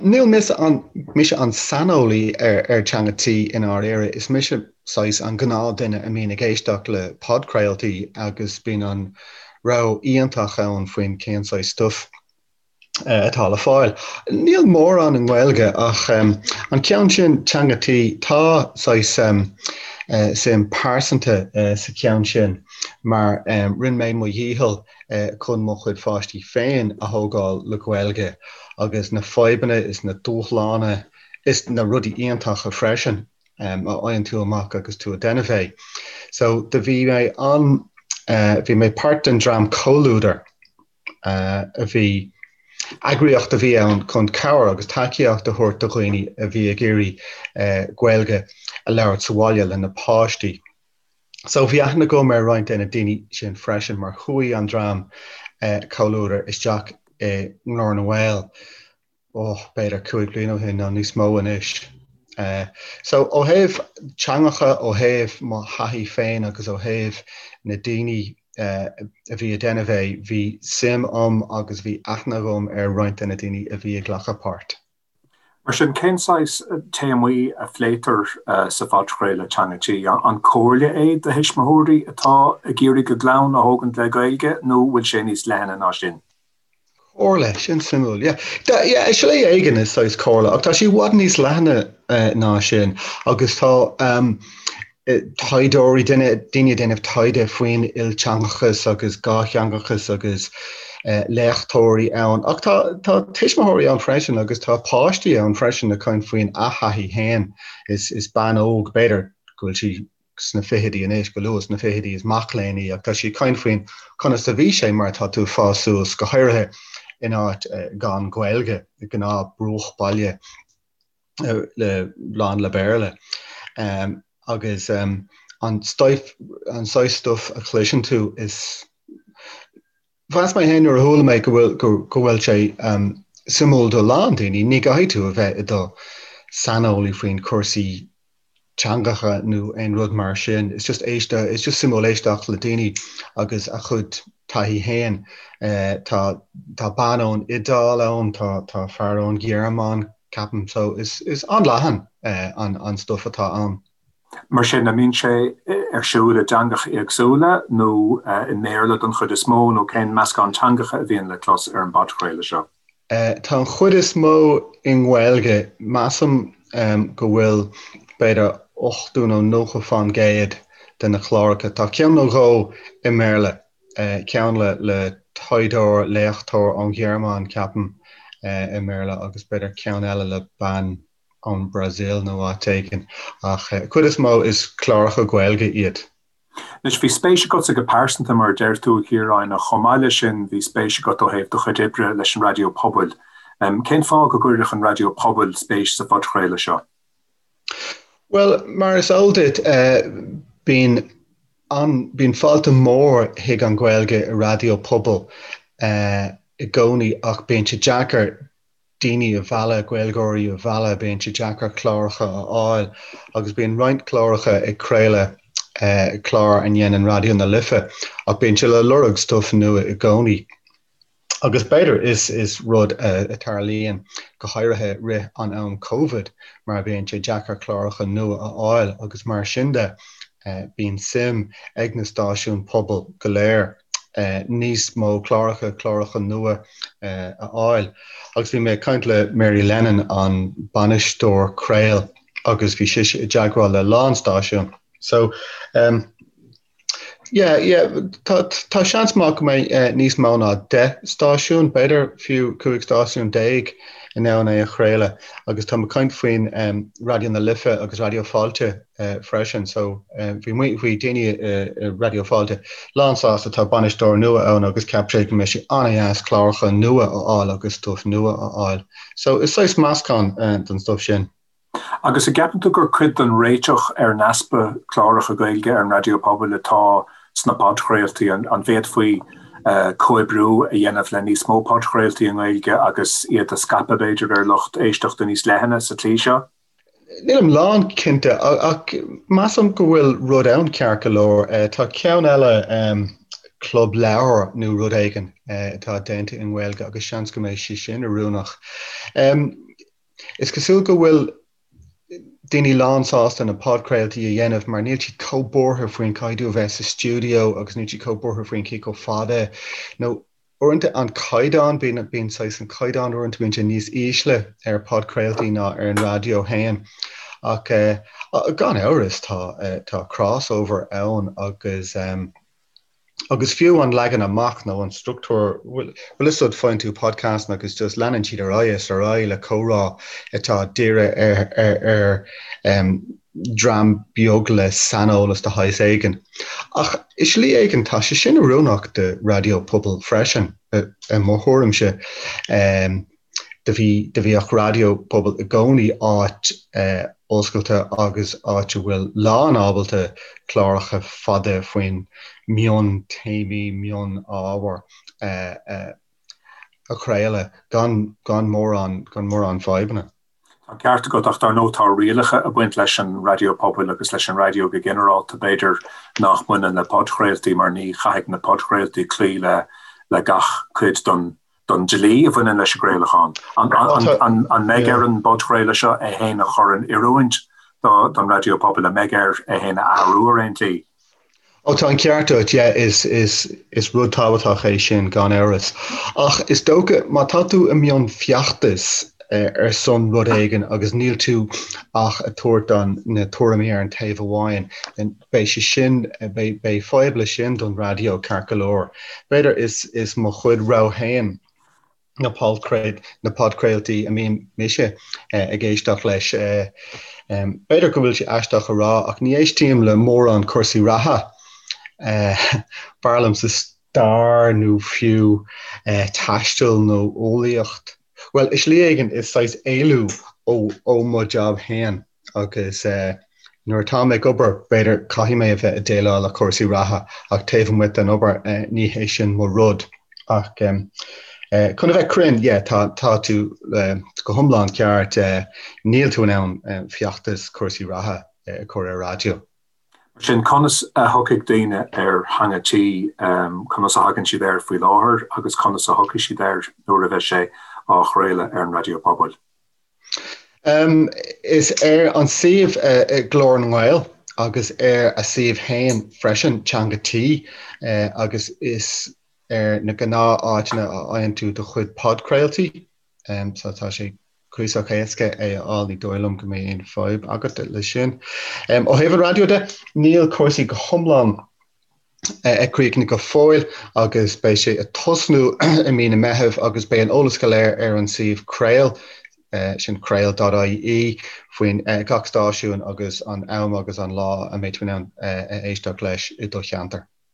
Níl mise an, mise an saineolaí ar ar Teanga Tí i ndáiríre, is mise saghas an gnáthdhuine a mbíonn ag éisteacht le podchraoltaí agus bíonn an rogha iontach ann faoin cén saghas stuif atá le fáil. Níl mórán i nGaeilge ach an ceann sin, Teanga Tí, tá saghas suim pearsanta sa cheann sin mar rinne mé mo dhícheall chun mo chuid pháistí féin a thógáil le Gaeilge agus na fadhbanna is na dúshlána is na rudaí iontacha freisin a fhaigheann tú amach agus tú ag déanamh é. So do bhí mé an, bhí mé páirt den dream Comhluadar a bhí, eagraíocht a bhí ann chun cabhair agus tacaíocht a thabhairt do dhaoine a bhí ag iarraidh Gaeilge a labhairt sa bhaile lena páistí. So bhí aithne agam ar roinnt de na daoine sin freisin mar chuaigh an dream Comhluadar isteach i nGlór na nGael, oh, b'fhéidir 5 bliana ó shin nó níos mó anois. So ó thaobh teangacha, ó thaobh mo thaithí féin agus ó thaobh na daoine a bhí ag déanamh é, bhí suim agam agus bhí aithne agam ar roinnt de na daoine a bhí ag glacadh páirt. Mar sin, cén saghas téamaí a phléitear sa phodchraoladh Teanga Tí? An comhairle é do thuismitheoirí atá ag iarraidh a gclann a thógaint le Gaeilge nó bhfuil sé níos leithne ná sin? Comhairle, sin suimiúil. Yeah. Yeah, i slí éigin is saghas comhairle, ach tá sé i bhfad níos leithne ná sin agus tá taighdeoirí, duine, daoine ag déanamh taighde faoin ilteangachas agus dhátheangachas agus léachtóirí ann. Ach tá, tá tuismitheoirí ann freisin agus tá páistí ann freisin ag caint faoin a thaithí féin. Is, is bean óg, b'fhéidir go bhfuil sí sna fichidí anois, go luath sna fichidí, is mac léinn í ach tá sí ag caint faoin conas a bhí sé mar tá tú ag fás suas, go háirithe in áit gan Gaeilge, gnáth bruachbhaile. le lán le Béarla agus an stuif, an saghas stuif a chloiseann tú is mheas mé féin nuair a chuala mé go bhfuil go go bhfuil sé suimiúil do lán daoine, ní gcaithfidh tú a bheith i do saineolaí faoin cúrsaí teangacha nó aon rud mar sin. It's just éiste, it's just suimiúil éisteacht le daoine agus a chuid taithí féin. Tá tá bean ón Iodáil ann, tá tá fear ón Ghearmáin, ceapaim. So is is an-leathan an an stuif atá ann. Mar sin, an mbíonn sé ar siúl i dteangacha éagsúla nó i mBéarla don chuid is mó nó cén meascán teangacha a bhíonn le clos ar an bpodchraoladh seo? Tá an chuid is mó i nGaeilge. Measaim go bhfuil b'fhéidir 80 nó 90 fán gcéad de na cláracha. Tá ceann nó dhó i mBéarla, ceann le le taighdeoir, léachtóir ón Ghearmáin, ceapaim, i mBéarla agus b'fhéidir ceann eile le bean ón Bhrasaíl nó áit éigin. Ach cuid is mó is cláracha Gaeilge iad. Anois, bhí spéis agatsa go pearsanta, mar a deir tú, a Chiaráin, ach chomh maith leis sin, bhí spéis agat ó thaobh do chuid oibre leis an raidió pobail. Cén fáth go gcuirfeadh an raidió pobail spéis sa phodchraoladh seo? Bhuel, mar is eol duit, bíonn an, bíonn fáilte mhór chuig an Ghaeilge i raidió pobail i gcónaí ach bíonn sé deacair daoine a mhealladh, Gaeilgeoirí a mhealladh, bíonn sé deacair cláracha a fháil agus bíonn roinnt cláracha ag craoladh, clár a ndéanann Raidió na Life ach bíonn sé le lorg stuif nua i gcónaí. Agus b'fhéidir is is rud a tarlaíonn go háirithe rith an am Covid mar bíonn sé deacair cláracha nua a fháil agus mar sin de bíonn suim ag na stáisiúin pobail go léir níos mó cláracha, cláracha nua a fháil. Agus bhí mé ag caint le Mary Lennon, an bainisteoir craol, agus bhí sise i dteagmháil le lán stáisiún. So, um, yeah, yeah, tá, tá seans maith go mbeidh níos mó ná 10 stáisiún, b'fhéidir fiú 15 stáisiún in ann é a chraoladh. Agus tá mé ag caint faoin um, Raidió na Life agus Raidió Fáilte freisin so bhí bhí daoine i Raidió Fáilte lán sásta tá bainisteoir nua ann agus cheap sé go mbeidh sé an-dheas cláracha nua a fháil agus stuif nua a fháil. So is saghas meascán den stuif sin. Agus an gceapann tú gur cuid den réiteach ar an easpa cláracha Gaeilge ar an raidió pobail atá sna podchraoltaí? An bhféadfaí comhoibriú a dhéanamh le níos mó podchraoltaí i nGaeilge agus iad a scaipeadh b'fhéidir ar lucht éisteachta níos leithne sa tslí seo? Nílim lán cinnte ach measaim go bhfuil rud ann ceart go leor. Tá ceann eile, Club Leabhar nó rud éigin atá déanta i nGaeilge agus seans go mbeidh sé sin oiriúnach. Is cosúil go bhfuil daoine lán-sásta na podchraoltaí a dhéanamh mar níl siad chomh buartha faoin caithfidh tú a bheith sa stiúideo agus níl siad chomh buartha faoin cé chomh fada nó uaireanta an caighdeán, bíonn, bíonn saghas an caighdeán uaireanta bíonn sé níos ísle ar podchraoltaí ná ar an raidió féin. Ach gan amhras tá, tá crossover ann agus. Agus fiú an leagan amach nó an struchtúr, bhfuil fhios agat, faigheann tú podcast agus just leanann siad ar aghaidh is ar aghaidh le comhrá atá dírithe ar ar dream beag le saineolas de shaghas éigin. Ach i slí éigin tá sé sin oiriúnach do raidió pobail freisin, i mo thuairimse. Do bhí, do bhíodh raidió pobail i gcónaí áit oscailte agus áit a bhfuil lán ábalta cláracha fada faoin mion téamaí, mion ábhair a chraoladh gan, gan mórán, gan mórán fadhbanna. Tá an ceart agat ach dar ndóigh tá rialacha ag baint leis an raidió pobail agus leis an raidió go ginearálta, b'fhéidir nach mbaineann le podchraoltaí mar ní chaithfidh na podchraoltaí cloí le le gach cuid den don dlí a bhaineann leis an gcraolachán. An mbeidh ar an bpodchraoladh seo é féin a chur in oiriúint don raidió pobail? An mbeidh air é féin a athrú ar aon tslí? Ó tá an ceart agat, yeah, is, is, is rud tábhachtach é sin gan amhras. Ach is dócha má tá tú i mbun feachtais ar son rud éigin agus níl tú ach ag tabhairt an, na tuairimí ar an taobh amháin, then beidh sé sin, beidh, beidh fadhb leis sin don raidió ceart go leor. B'fhéidir is, is mo chuid rogha féin na podchraol, na podchraoltaí a mbíonn mise ag éisteacht leis. B'fhéidir go bhfuil sé aisteach a rá ach ní éistím le mórán cúrsaí reatha. B'fhearr liomsa stair nó fiú taisteal nó eolaíocht. Bhuel, i slí éigin is saghas éalú ó, ó mo jab féin. Agus nuair atá mé ag obair, b'fhéidir, caithfidh mé a bheith ag déileáil le cúrsaí reatha, ach taobh amuigh den obair, ní hé sin mo rud. Ach chun a bheith cruinn, yeah, tá, tá tú go hiomlán ceart, níl tú in ann feachtas cúrsaí reatha a chur ar raidió. Mar sin, conas a thiocfaidh daoine ar Theanga Tí, conas a thagann siad air faoi láthair agus conas a thiocfaidh siad air nuair a bheidh sé á chraoladh ar an raidió pobail? Is ar an suíomh Glór na nGael agus ar a suíomh féin freisin, Teanga Tí, agus is ar na gnáth áiteanna a fhaigheann tú do chuid podchraoltaí. So tá sé cuíosach éasca é a fháil, ní dóigh liom go mbeidh aon fadhb agat leis sin. Ó thaobh an raidió de, níl cúrsaí go hiomlán críochnaithe go fóill agus beidh sé ag tosnú i mí na Meitheamh agus beidh an eolas go léir ar an suíomh Craol, sin craol.ie, faoin gach stáisiún agus an am agus an lá a mbeidh tú in ann a éisteacht leis i do cheantar.